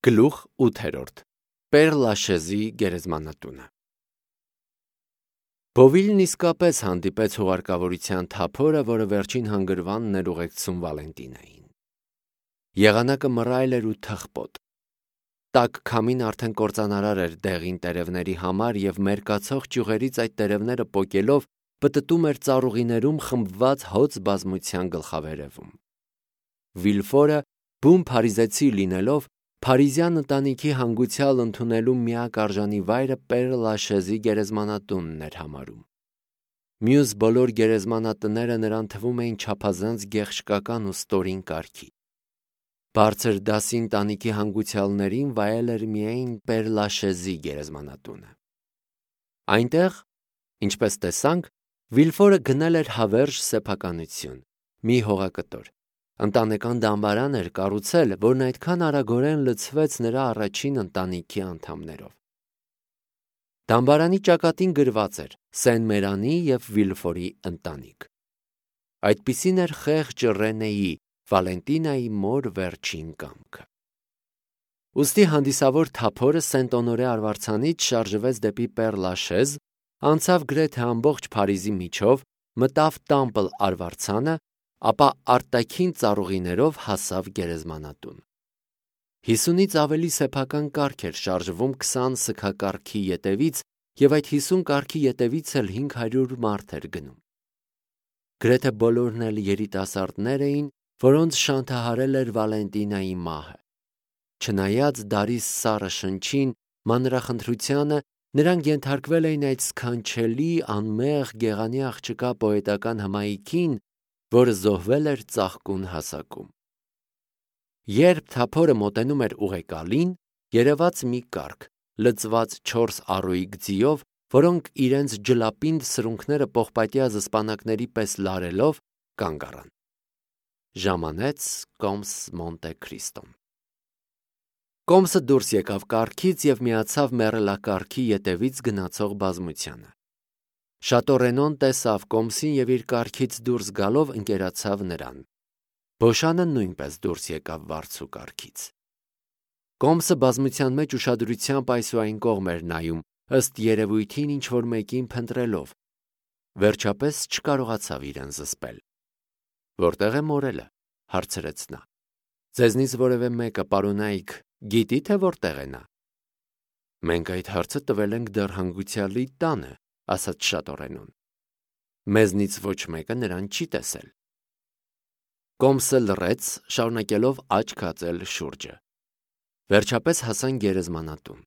Գլուխ 8. Պեր-Լաշեզի գերեզմանատունը։ Բովիլն իսկապես հանդիպեց հուղարկավորության թափորը, որը վերջին հանգրվանն էր ուղեկցում Վալենտինային։ Եղանակը մռայլ էր ու թխպոտ։ Տաք քամին արդեն կործանարար էր դեղին տերևների համար և մերկացող ճյուղերից այդ տերևները պոկելով պտտում էր ծառուղիներում խմբված հոծ բազմության գլխավերևում։ Վիլֆորը, բուն փարիզեցի լինելով, փարիզյան ընտանիքի հանգուցյալ ընդունելու միակ արժանի վայրը Պեր-Լաշեզի գերեզմանատունն էր համարում։ Մյուս բոլոր գերեզմանատները նրան թվում էին չափազանց գեղշկական ու ստորին կարգի։ Բարձր դասի ընտանիքի հանգուցյալներին վայել էր միայն Պեր-Լաշեզի գերեզմանատունը։ Այնտեղ, ինչպես տեսանք, Վիլֆորը գնել էր հավերժ սեփականություն, մի հողակտոր, ընտանեկան դամբարան էր կառուցել, որն այդքան արագորեն լցվեց նրա առաջին ընտանիքի անդամներով։ Դամբարանի ճակատին գրված էր Սեն-Մերանի և Վիլֆորի ընտանիք։ Այդպիսին էր խեղճ Ռենեի, Վալենտինայի մոր վերջին կամքը։ Ուստի հանդիսավոր թափորը Սենտ-Օնորե արվարձանից շարժվեց դեպի Պեր-Լաշեզ, անցավ գրեթե ամբողջ Փարիզի միջով, մտավ Տամպլ արվարձանը, ապա արտաքին ծառուղիներով հասավ գերեզմանատուն։ 50-ից ավելի սեփական կառք էր շարժվում 20 սգակառքի ետևից և այդ 50 կառքի ետևից էլ 500 մարդ էր գնում։ Գրեթե բոլորն էլ երիտասարդներ էին, որոնց շանթահարել էր Վալենտինայի մահը։ Չնայած դարի սառը շնչին, մանրախնդրությանը, նրանք ենթարկվել էին այդ սքանչելի, անմեղ, գեղանի աղջկա պոետական հմայքին, որը զոհվել էր ծաղկուն հասակում։ Երբ թափորը մոտենում էր ուղեկալին, երևաց մի կառք, լցված 4 առուիկ ձիով, որոնք իրենց ջլապինդ սրունքները պողպատյա զսպանակների պես լարելով կանգ առան։ Ժամանեց Կոմս Մոնտե Քրիստոն։ Կոմսը դուրս եկավ կառքից և միացավ մեռելակառքի ետևից գնացող բազմությանը։ Շատո Ռենոն տեսավ Կոմսին և իր կառքից դուրս գալով ընկերացավ նրան։ Բոշանը նույնպես դուրս եկավ վարձու կառքից։ Կոմսը բազմության մեջ ուշադրությամբ այս ու այն կողմ էր նայում, ըստ երևույթին ինչ-որ մեկին փնտրելով։ Վերջապես չկարողացավ իրեն զսպել։ «Որտե՞ղ է մորելը», հարցրեց նա։ «Ձեզնից որևէ մեկը, պարոնայք, գիտի, թե որտեղ է նա»։ «Մենք այդ հարցը տվել ենք դեռ հանգուցյալի տանը», ասաց Շատո Ռենոն։ «Մեզնից ոչ մեկը նրան չի տեսել»։ Կոմսը լռեց, շարունակելով աչք հածել շուրջը։ Վերջապես հասան գերեզմանատուն։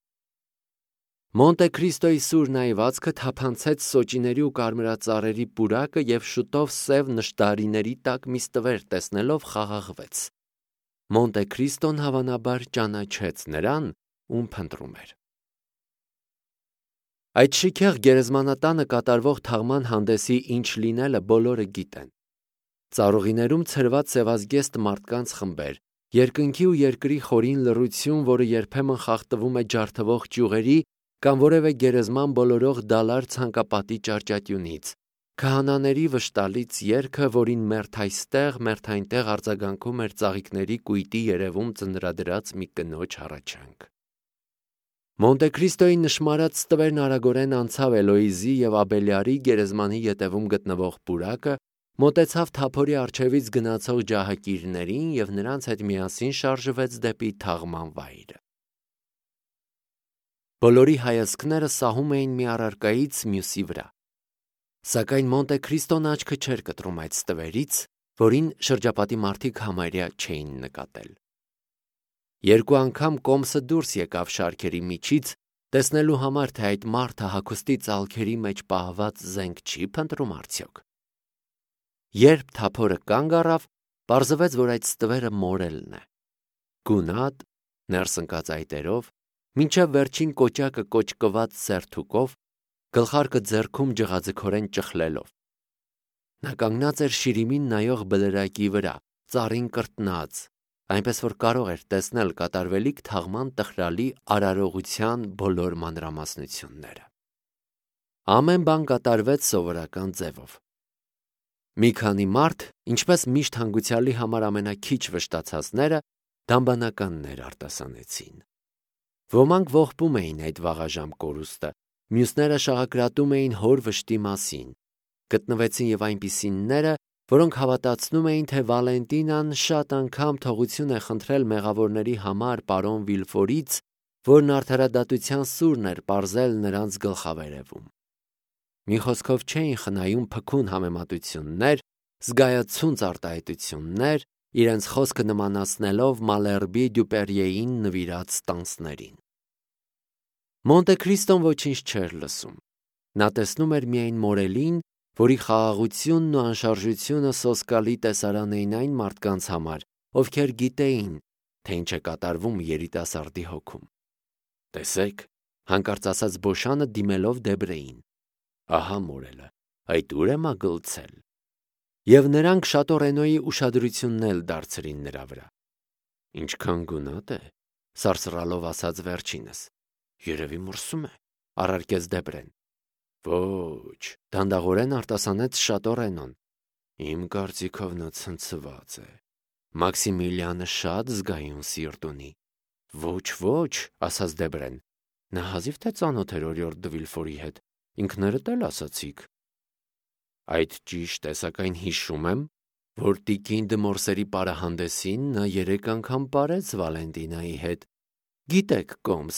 Մոնտե Քրիստոյի սուր նայվածքը թափանցեց սոճիների ու կարմրածառերի պուրակը և շուտով սև նշտարիների տակ մի ստվեր տեսնելով խաղաղվեց։ Մոնտե Քրիստոն հավանաբար ճանաչեց նրան, ում փնտրում էր։ Այդ շքեղ գերեզմանատանը կատարվող թաղման հանդեսի ինչ լինելը բոլորը գիտեն։ Ծառուղիներում ցրված սևազգեստ մարդկանց խմբեր, երկնքի ու երկրի խորին լռություն, որը երբեմն խախտվում է ջարդվող ճյուղերի կամ որևէ գերեզման բոլորող դալար ցանկապատի ճարճատյունից, քահանաների վշտալից երգը, որին մերթ այստեղ, մերթ այնտեղ արձագանքում էր ծաղիկների կույտի երևում ծնրադրած մի կնոջ հառաչանք։ Մոնտե Քրիստոյի նշմարած ստվերն արագորեն անցավ Էլոիզի և Աբելյարի գերեզմանի ետևում գտնվող պուրակը, մոտեցավ թափորի առջևից գնացող ջահակիրներին և նրանց հետ միասին շարժվեց դեպի թաղման վայրը։ Բոլորի հայացքները սահում էին մի առարկայից մյուսի վրա։ Սակայն Մոնտե Քրիստոն աչքը չէր կտրում այդ ստվերից, որին շրջապատի մարդիկ համարյա չէին նկատել։ Երկու անգամ Կոմսը դուրս եկավ շարքերի միջից, տեսնելու համար, թե այդ մարդը հագուստի ծալքերի մեջ պահված զենք չի փնտրում արդյոք։ Երբ թափորը կանգ առավ, պարզվեց, որ այդ ստվերը մորելն է։ Գունատ, ներս ընկած այտերով, մինչև վերջին կոճակը կոճկված սերթուկով, գլխարկը ձեռքում ջղաձգորեն ճխլելով։ Նա կանգնած էր շիրիմին նայող բլրակի վրա, ծառին կրտնած, այնպես որ կարող էր տեսնել կատարվելիք թաղման տխրալի արարողության բոլոր մանրամասնությունները։ Ամեն բան կատարվեց սովորական ձևով։ Մի քանի մարդ, ինչպես միշտ հանգուցյալի համար ամենաքիչ վշտացածները, դամբանականներ արտասանեցին։ Ոմանք ողբում էին այդ վաղաժամ կորուստը, մյուսները շաղակրատում էին հոր վշտի մասին։ Գտնվեցին եւ այնպիսինները, որոնք հավատացնում էին, թե Վալենտինան շատ անգամ թողություն է խնդրել մեղավորների համար պարոն Վիլֆորից, որն արդարադատության սուրն էր պարզել նրանց գլխավերևում։ Մի խոսքով չէին խնայում փքուն համեմատություններ, զգայացունց արտահայտություններ, իրենց խոսքը նմանացնելով Մալերբի Դյուպերիեին նվիրած տանսներին։ Մոնտե Քրիստոն ոչինչ չէր լսում։ Նա տեսնում էր միայն Մորելին, որի խաղաղությունն ու անշարժությունը սոսկալի տեսարան էին այն մարդկանց համար, ովքեր գիտեին, թե ինչ է կատարվում երիտասարդի հոգում։ Տեսեք, հանկարծ ասաց Բոշանը դիմելով Դեբրեին. ահա Մորելը, այդ ուր է մագլցել։ Եվ նրանք Շատո Ռենոյի ուշադրությունն էլ դարձրին նրա վրա։ Ինչքան գունատ է, սարսռալով ասաց վերջինս։ Երևի մրսում է, առարկեց Դեբրեն։ Ոչ, դանդաղորեն արտասանեց Շատո Ռենոն։ Իմ կարծիքով նա ցնցված է։ Մաքսիմիլիանը շատ զգայուն սիրտ ունի։ Ոչ, ասաց Դեբրեն։ Նա հազիվ թե ծանոթ էր օրիորդ դը Վիլֆորի հետ, ինքներդ էլ ասացիք։ Այդ ճիշտ է, սակայն հիշում եմ, որ տիկին դը Մորսերի պարահանդեսին նա 3 անգամ պարեց Վալենտինայի հետ։ Գիտեք, Կոմս,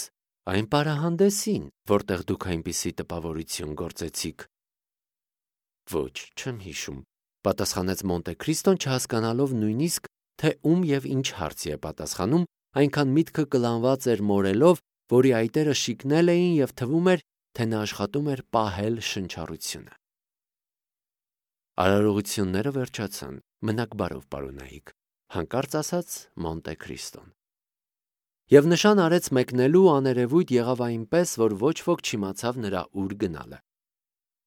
այն պարահանդեսին, որտեղ դուք այնպիսի տպավորություն գործեցիք։ Ոչ, չեմ հիշում, պատասխանեց Մոնտե Քրիստոն, չհասկանալով նույնիսկ, թե ում եւ ինչ հարցի է պատասխանում, այնքան միտքը կլանված էր Մորելով, որի այտերը շիկնել էին եւ թվում էր, թե նա աշխատում էր պահել շնչառությունը։ Արարողությունները վերջացան, մնաք բարով, պարոնայիկ, հանկարծ ասաց Մոնտե Քրիստոն։ Եվ նշան արեց մեկնելու աներևույթ եղավ այնպես, որ ոչ ոք չիմացավ նրա ուր գնալը։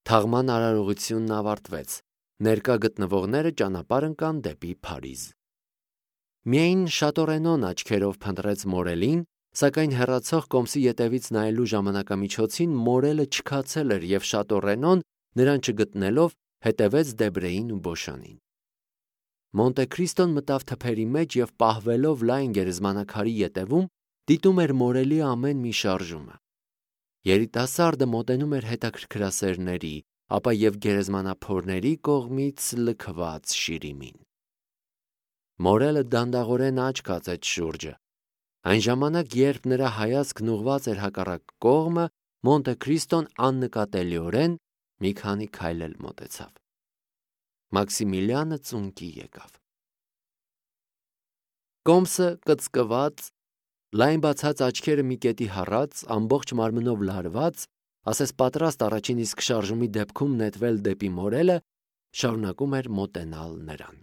Թաղման արարողությունն ավարտվեց, ներկա գտնվողները ճանապարհ ընկան դեպի Փարիզ։ Միայն Շատո Ռենոն աչքերով փնտրեց Մորելին, սակայն հեռացող կոմսի ետևից նայելու ժամանակամիջոցին Մորելը չքացել էր եւ Շատո Ռենոն, նրան չգտնելով, հետևեց Դեբրեին ու Բոշանին։ Մոնտե Քրիստոն մտավ թփերի մեջ եւ պահվելով լայն գերեզմանակարի ետևում, դիտում էր Մորելի ամեն մի շարժումը։ Երիտասարդը մոտենում էր հետաքրքրասերների, ապա եւ գերեզմանափորների կողմից լքված շիրիմին։ Մորելը դանդաղորեն աչք կացեց շուրջը։ Այն ժամանակ, երբ նրա հայացքն ուղղված էր հակառակ կողմը, Մոնտե Քրիստոն աննկատելիորեն մի քանի քայլ էլ մոտեցավ։ Մաքսիմիլիանը ծունկի եկավ։ Կոմսը կծկված, լայն բացած աչքերը մի կետի հառած, ամբողջ մարմնով լարված, ասես պատրաստ առաջին իսկ շարժումի դեպքում նետվել դեպի Մորելը, շարունակում էր մոտենալ նրան։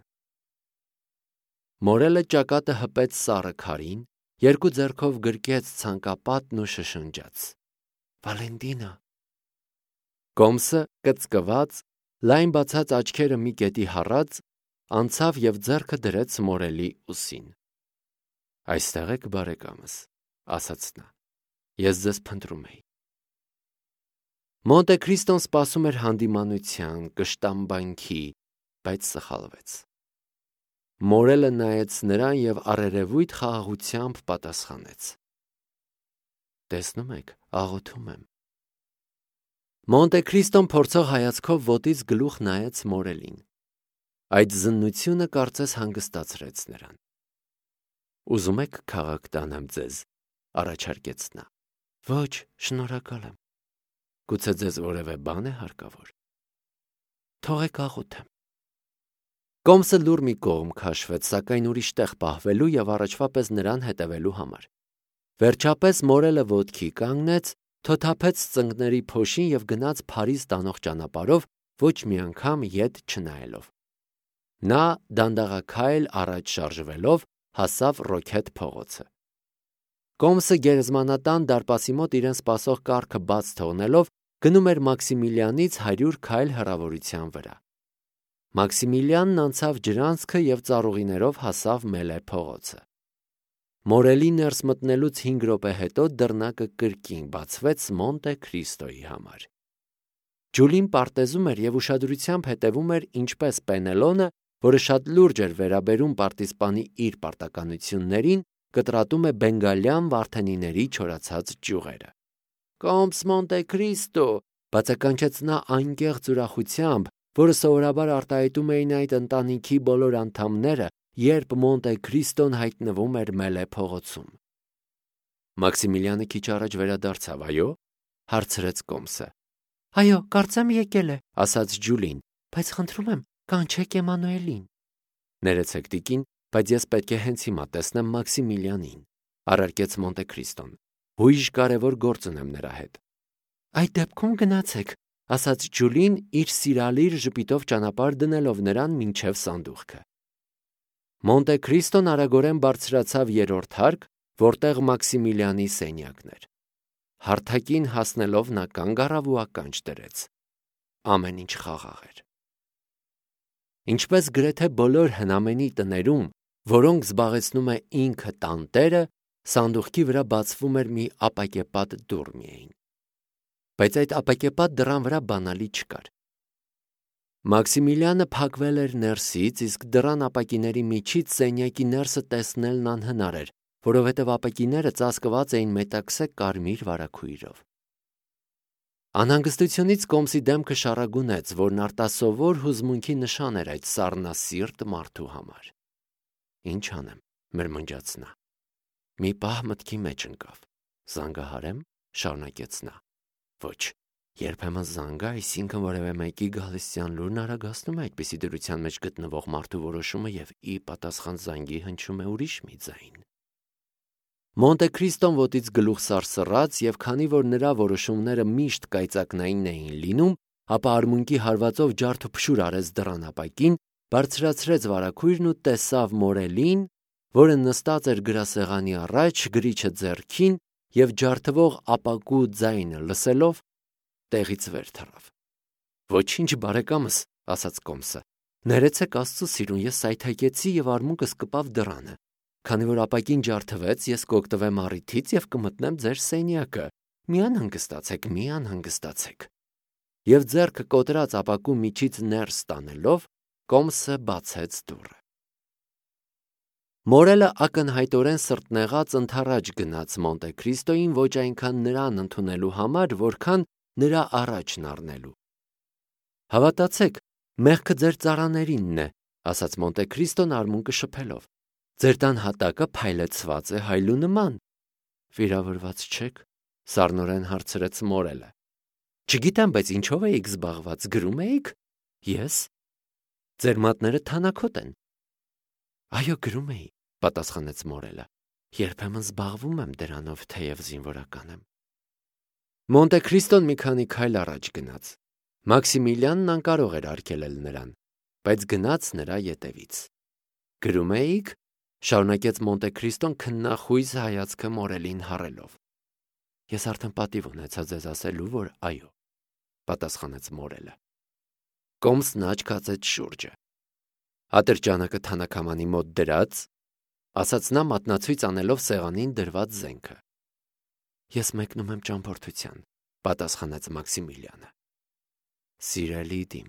Մորելը ճակատը հպեց սառը քարին, երկու ձեռքով գրկեց ցանկապատն ու շշնջաց. Վալենտինա։ Կոմսը կծկված, լայն բացած աչքերը մի կետի հառած, անցավ եւ ձեռքը դրեց Մորելի ուսին։ Այստեղ եք, բարեկամս, ասաց նա։ Ես ձեզ փնտրում էի։ Մոնտե Քրիստոն սպասում էր հանդիմանության, կշտամբանքի, բայց սխալվեց։ Մորելը նայեց նրան եւ առերևույթ խաղաղությամբ պատասխանեց. Տեսնում եք, աղոթում եմ։ Մոնտե Քրիստոն փորձող հայացքով ոտից գլուխ նայեց Մորելին։ Այդ զննությունը կարծես հանգստացրեց նրան։ Ուզում եք քաղաք տանեմ ձեզ, առաջարկեց նա։ Ոչ, շնորհակալ եմ։ Գուցե ձեզ որևէ բան է հարկավոր։ Թողեք աղոթեմ։ Կոմսը լուր մի կողմ քաշվեց, սակայն ուրիշ տեղ պահվելու եւ առաջվա պես նրան հետևելու համար։ Վերջապես Մորելը ոտքի կանգնեց, թոթափեց ծնկների փոշին եւ գնաց Փարիզ տանող ճանապարհով, ոչ մի անգամ ետ չնայելով։ Նա դանդաղաքայլ առաջ շարժվելով հասավ Ռոքետ փողոցը։ Կոմսը գերեզմանատան դարպասի մոտ իրեն սպասող կառքը բաց թողնելով գնում էր Մաքսիմիլիանից 100 քայլ հեռավորության վրա։ Մաքսիմիլիանն անցավ ջրանցքը եւ ծառուղիներով հասավ Մելե փողոցը։ Մորելի ներս մտնելուց 5 րոպե հետո դռնակը կրկին բացվեց Մոնտե Քրիստոյի համար։ Ջուլին պարտեզում էր եւ ուշադրությամբ հետևում էր ինչպես Պենելոնը, որը շատ լուրջ էր վերաբերում պարտիզպանի իր պարտականություններին, կտրատում է բենգալյան վարդենիների չորացած ճյուղերը։ «Կոմս Մոնտե Քրիստո», բացականչեց նա անկեղծ ուրախությամբ, որը սովորաբար արտահայտում էին այդ ընտանիքի բոլոր անդամները, երբ Մոնտե Քրիստոն հայտնվում էր Մելե փողոցում։ Մաքսիմիլիանը քիչ առաջ վերադարձավ, այո՞, հարցրեց Կոմսը։ «Այո, կարծեմ եկել է», ասաց Ջուլին, «բայց խնդրում եմ, կանչեք Էմանուելին»։ «Ներեցեք, տիկին, բայց ես պետք է հենց հիմա տեսնեմ Մաքսիմիլիանին», առարկեց Մոնտե Քրիստոն։ «Հույժ կարևոր գործ ունեմ նրա հետ»։ «Այդ դեպքում գնացեք», ասաց Ջուլին, իր սիրալիր ժպիտով ճանապարհ դնելով նրան մինչև սանդուղքը։ Մոնտե Քրիստոն արագորեն բարձրացավ երրորդ հարկ, որտեղ Մաքսիմիլիանի սենյակն էր։ Հարթակին հասնելով նա կանգ առավ ու ականջ դրեց։ Ամեն ինչ խաղաղ էր։ Ինչպես գրեթե բոլոր հնամենի տներում, որոնք զբաղեցնում է ինքը տանտերը, սանդուղքի վրա բացվում էր մի ապակեպատ դուռ միայն։ Բայց այդ ապակեպատ դռան վրա բանալի չկար։ Մաքսիմիլիանը փակվել էր ներսից, իսկ դռան ապակիների միջից սենյակի ներսը տեսնելն անհնար էր, որովհետև ապակիները ծածկված էին մետաքսե կարմիր վարագույրով։ Անհանգստությունից Կոմսի դեմքը շառագունեց, որն արտասովոր հուզմունքի նշան էր այդ սառնասիրտ մարդու համար։ «Ինչ անեմ», մրմնջաց նա։ Մի պահ մտքի մեջ ընկավ։ «Զանգահարեմ», շարունակեց նա։ «Ոչ, երբեմն զանգը, այսինքն որևէ մեկի գալստյան լուրն արագացնում է այդպիսի դրության մեջ գտնվող մարդու որոշումը և ի պատասխան զանգի հնչում է ուրիշ մի ձայն»։ Մոնտե Քրիստոն ոտից գլուխ սարսռաց, և քանի որ նրա որոշումները միշտ կայծակնային էին լինում, ապա արմունկի հարվածով ջարդուփշուր արեց դռան ապակին, բարձրացրեց վարագույրն ու տեսավ Մորելին, որը նստած էր գրասեղանի առաջ, գրիչը ձեռքին, և ջարդվող ապակու ձայնը լսելով, տեղից վեր թռավ։ «Ոչինչ, բարեկամս», ասաց Կոմսը, «ներեցեք Աստծո սիրուն, ես սայթաքեցի և արմունկս կպավ դռանը։ Քանի որ ապակին ջարդվեց, ես կօգտվեմ առիթից և կմտնեմ ձեր սենյակը։ Մի անհանգստացեք, մի անհանգստացեք»։ Եվ ձեռքը կոտրած ապակու միջից ներս տանելով, Կոմսը բացեց դուռը։ Մորելը ակնհայտորեն սրտնեղած ընդառաջ գնաց Մոնտե Քրիստոյին ոչ այնքան նրան ընդունելու համար, որքան նրա առաջն առնելու։ «Հավատացեք, մեղքը ձեր ծառաներինն է», ասաց Մոնտե Քրիստոն արմունկը շփելով։ «Ձեր տան հատակը փայլեցված է հայլու նման»։ «Վիրավորված չեք», սառնորեն հարցրեց Մորելը։ «Չգիտեմ, բայց ինչով էիք զբաղված, գրում էիք»։ «Ես»։ «Ձեր մատները թանաքոտ են»։ «Այո, գրում էի», պատասխանեց Մորելը։ «Երբեմն զբաղվում եմ դրանով, թեև զինվորական եմ»։ Մոնտե Քրիստոն մի քանի քայլ առաջ գնաց։ Մաքսիմիլիանն անկարող էր արգելել նրան, բայց գնաց նրա ետևից։ «Գրում էիք», շարունակեց Մոնտե Քրիստոն քննախույս հայացքը Մորելին հառելով։ «Ես արդեն պատիվ ունեցա ձեզ ասելու, որ այո», պատասխանեց Մորելը։ Կոմսն աչք հացեց շուրջը։ «Ատրճանակը թանաքամանի մոտ դրած», ասաց նա մատնացույց անելով սեղանին դրված զենքը։ «Ես մեկնում եմ ճամփորդության», պատասխանեց Մաքսիմիլիանը։ «Սիրելի դիմ»,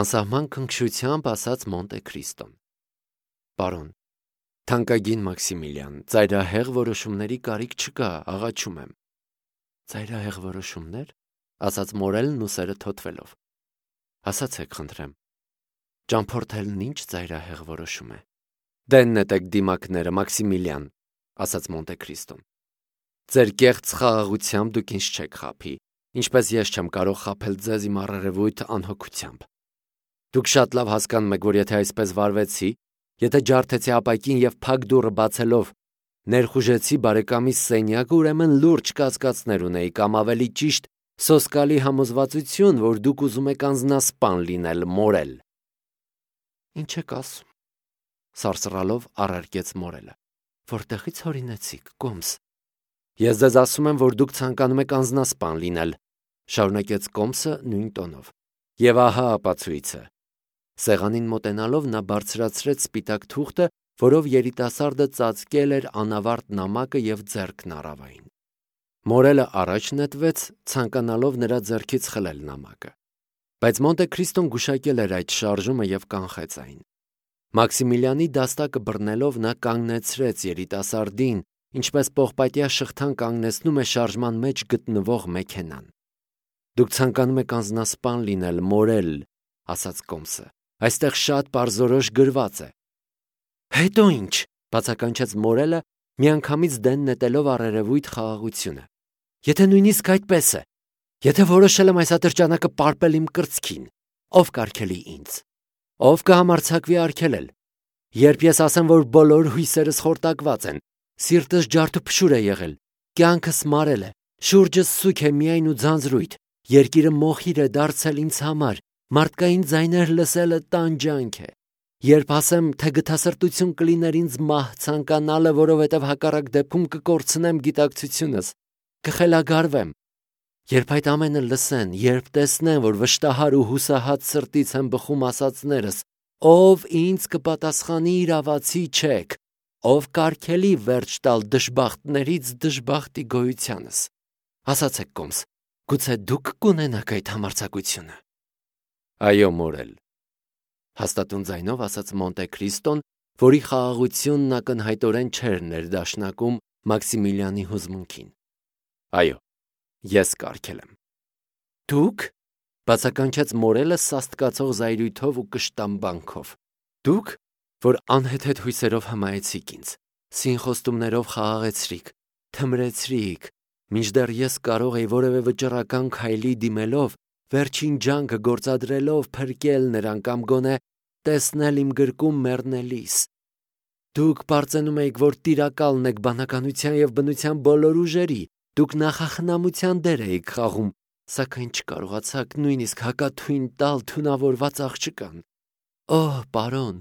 անսահման քնքշությամբ ասաց Մոնտե Քրիստոն։ «Պարոն, թանկագին Մաքսիմիլիան, ծայրահեղ որոշումների կարիք չկա, աղաչում եմ»։ «Ծայրահեղ որոշումներ», ասաց Մորելն ուսերը թոթվելով։ «Ասացեք, խնդրեմ, ճամփորդելն ինչ ծայրահեղ որոշում է»։ «Դե նետեք դիմակները, Մաքսիմիլիան», ասաց Մոնտե Քրիստոն։ «Ձեր կեղծ խաղաղությամբ դուք ինձ չեք խաբի, ինչպես ես չեմ կարող խաբել ձեզ իմ առերևույթ անհոգությամբ։ Դուք շատ լավ հասկանում եք, որ եթե այսպես վարվեցի, եթե ջարդեցի ապակին և փակ դուռը բացելով ներխուժեցի բարեկամիս սենյակը, ուրեմն լուրջ կասկածներ ունեի կամ ավելի ճիշտ սոսկալի համոզվածություն, որ դուք ուզում եք անձնասպան լինել, Մորել»։ «Ինչ եք ասում», սարսռալով առարկեց Մորելը։ «Որտեղից հորինեցիք, Կոմս»։ «Ես ձեզ ասում եմ, որ դուք ցանկանում եք անձնասպան լինել», շարունակեց Կոմսը նույն տոնով։ «Եվ ահա ապացույցը»։ Սեղանին մոտենալով նա բարձրացրեց սպիտակ թուղթը, որով երիտասարդը ծածկել էր անավարտ նամակը և ձեռքն առավ այն։ Մորելը առաջ նետվեց, ցանկանալով նրա ձեռքից խլել նամակը։ Բայց Մոնտե Քրիստոն գուշակել էր այդ շարժումը և կանխեց այն։ Մաքսիմիլյանի դաստակը բռնելով նա կանգնեցրեց երիտասարդին, ինչպես պողպատյա շղթան կանգնեցնում է շարժման մեջ գտնվող մեքենան։ «Դուք ցանկանում եք անձնասպան լինել, մորել», ասաց Կոմսը։ «Այստեղ շատ պարզորոշ գրված է»։ «Հետո ինչ», բացականչեց Մորելը, միանգամից դեն նետելով առերևույթ խաղաղությունը։ «Եթե նույնիսկ այդպես է, եթե որոշել եմ այս ատրճանակը պարպել իմ կրծքին, ով կարգելի ինձ, ով կհամարձակվի արգելել։ Երբ ես ասեմ, որ բոլոր հույսերս խորտակված են, սիրտս ջարդուփշուր է եղել, կյանքս մարել է, շուրջս սուք է միայն ու ձանձրույթ, երկիրը մոխիր է դարձել ինձ համար, մարդկային ձայներ լսելը տանջանք է։ Երբ ասեմ, թե գթասրտություն կլիներ ինձ մահ ցանկանալը, որովհետև հակառակ դեպքում կկորցնեմ գիտակցությունս, կխելագարվեմ։ Երբ այդ ամենը լսեն, երբ տեսնեն, որ վշտահար ու հուսահատ սրտից եմ բխում ասածներս, ով ինձ կպատասխանի իրավացի չեք, ով կարգելի վերջ տալ դժբախտներից դժբախտի գոյությանս։ Ասացեք Կոմս, գուցե դուք կունենաք այդ համարձակությունը։ Այո, մորել, հաստատուն ձայնով ասաց Մոնտե Քրիստոն, որի խաղաղությունն ակնհայտորեն չէր ներդաշնակում Մաքսիմիլյանի հուզմունքին։ Այո, ես կարգել եմ։ Դուք, բացականչեց Մորելը սաստկացող զայրույթով ու կշտամբանքով։ Դուք, որ անհեթեթ հույսերով հմայեցիք ինձ, սինխոստումներով խաղաղեցրիք, թմրեցրիք, մինչդեռ ես կարող էի որևէ վճռական քայլի դիմելով, վերջին ջանքը գործադրելով փրկել նրան կամ գոնե տեսնել իմ գրկում մեռնելիս։ Դուք պարծենում եք, որ տիրակալն եք բանականության եւ բնության բոլոր ուժերի, դուք նախախնամության դեր էիք խաղում, սակայն չկարողացաք նույնիսկ հակաթույն տալ թունավորված աղջկան։ Օհ, պարոն,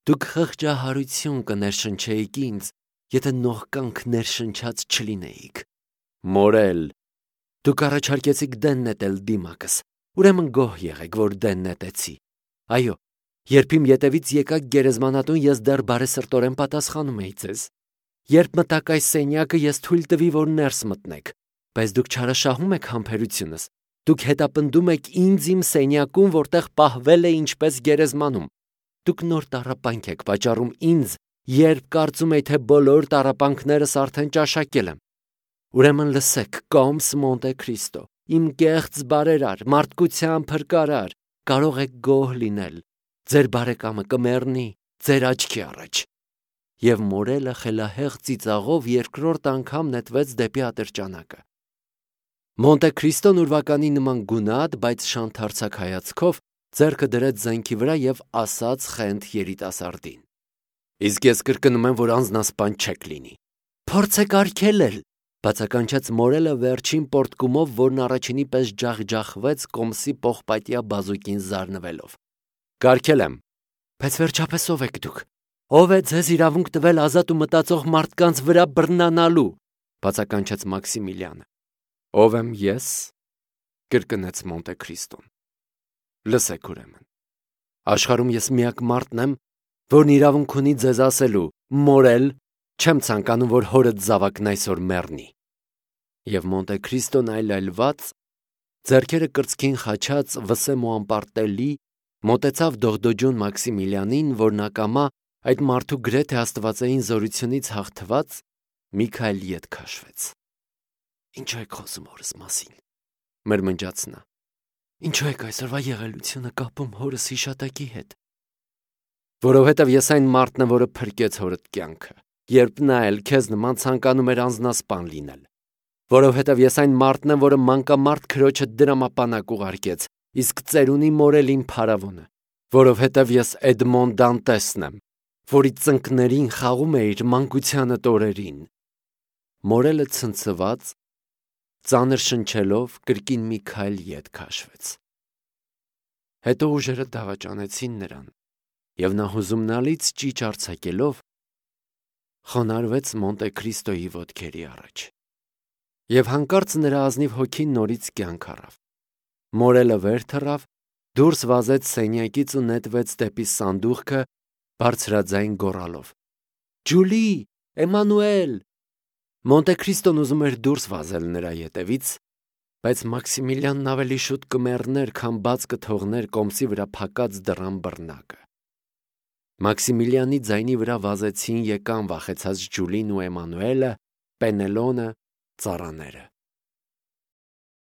դուք խղճահարություն կներշնչեիք ինձ, եթե նողկանք ներշնչած չլինեիք։ Մորել, դուք առաջարկեցիք դեն նետել դիմակս, ուրեմն գոհ եղեք, որ դեն նետեցի։ Այո, երբ իմ ետևից եկաք գերեզմանատուն, ես դեռ բարեսրտորեն պատասխանում էի ձեզ։ Երբ մտաք այս սենյակը, ես թույլ տվի, որ ներս մտնեք, բայց դուք չարաշահում եք համբերությունս։ Դուք հետապնդում եք ինձ իմ սենյակում, որտեղ պահվել է ինչպես գերեզմանում։ Դուք նոր տառապանք եք պատճառում ինձ, երբ կարծում եք, թե բոլոր տառապանքներս արդեն ճաշակել եմ։ Ուրեմն լսեք, Կոմս Մոնտե Քրիստո, իմ կեղծ բարերար, մարդկության փրկարար, կարող եք գոհ լինել։ Ձեր բարեկամը կմեռնի ձեր աչքի առաջ։ Եվ Մորելը խելահեղ ծիծաղով երկրորդ անգամ նետվեց դեպի ատրճանակը։ Մոնտե Քրիստոն ուրվականի նման գունատ, բայց շանթարցակ հայացքով ձեռքը դրեց զենքի վրա եւ ասաց խենթ երիտասարդին. Իսկ ես կրկնում եմ, որ անձնասպան չեք լինի։ Փորձեք արգելել, բացականչեց Մորելը վերջին պորտկումով, որն առաջինի պես ջախջախվեց Կոմսի պողպատյա բազուկին զարնվելով։ Կարգել եմ, բայց վերջապես ով եք դուք։ Ով է ձեզ իրավունք տվել ազատ ու մտածող մարդկանց վրա բռնանալու, բացականչեց Մաքսիմիլյանը։ Ով եմ ես, կրկնեց Մոնտե Քրիստոն։ Լսեք ուրեմն, աշխարհում ես միակ մարդն եմ, որն իրավունք ունի ձեզ ասելու, մորել, չեմ ցանկանում, որ հորդ զավակն այսօր մեռնի։ Եվ Մոնտե Քրիստոն այլայլված, ձեռքերը կրծքին խաչած վսեմ ու անպարտելի, մոտեցավ դողդոջուն Մաքսիմիլյանին, որն ակամա այդ մարդու գրեթե աստվածային զորությունից հաղթված մի քայլ ետ քաշվեց։ Ինչու եք խոսում հորս մասին, մրմնջաց նա։ Ինչու եք այսօրվա եղելությունը կապում հորս հիշատակի հետ։ Որովհետև ես այն մարդն եմ, որը փրկեց հորդ կյանքը, երբ նա էլ քեզ նման ցանկանում էր անձնասպան լինել։ Որովհետև ես այն մարդն եմ, որը մանկամարտ քրոջը դրամապանակ ուղարկեց, իսկ ծերունի մորելին փարավոնը։ Որովհետև ես Էդմոն Դանտեսն եմ, որի ծնկներին խաղում է իր մանկությանդ օրերին։ Մորելը ցնցված, ծանր շնչելով կրկին մի քայլ ետ քաշվեց։ Հետո ուժերը դավաճանեցին նրան, եւ նա հուզումնալից ճիչ արձակելով խոնարհվեց Մոնտե Քրիստոյի ոտքերի առաջ։ Եվ հանկարծ նրա ազնիվ հոգին նորից կյանք առավ։ Մորելը վեր թռավ, դուրս վազեց սենյակից ու նետվեց դեպի սանդուղքը, բարձրաձայն գոռալով. Ջուլի, Էմանուել։ Մոնտե Քրիստոն ուզում էր դուրս վազել նրա ետևից, բայց Մաքսիմիլյանն ավելի շուտ կմեռներ, քան բաց կթողներ Կոմսի վրա փակած դռան բռնակը։ Մաքսիմիլիանի ձայնի վրա վազեցին եկան վախեցած Ջուլին ու Էմանուելը, Պենելոնը, ծառաները։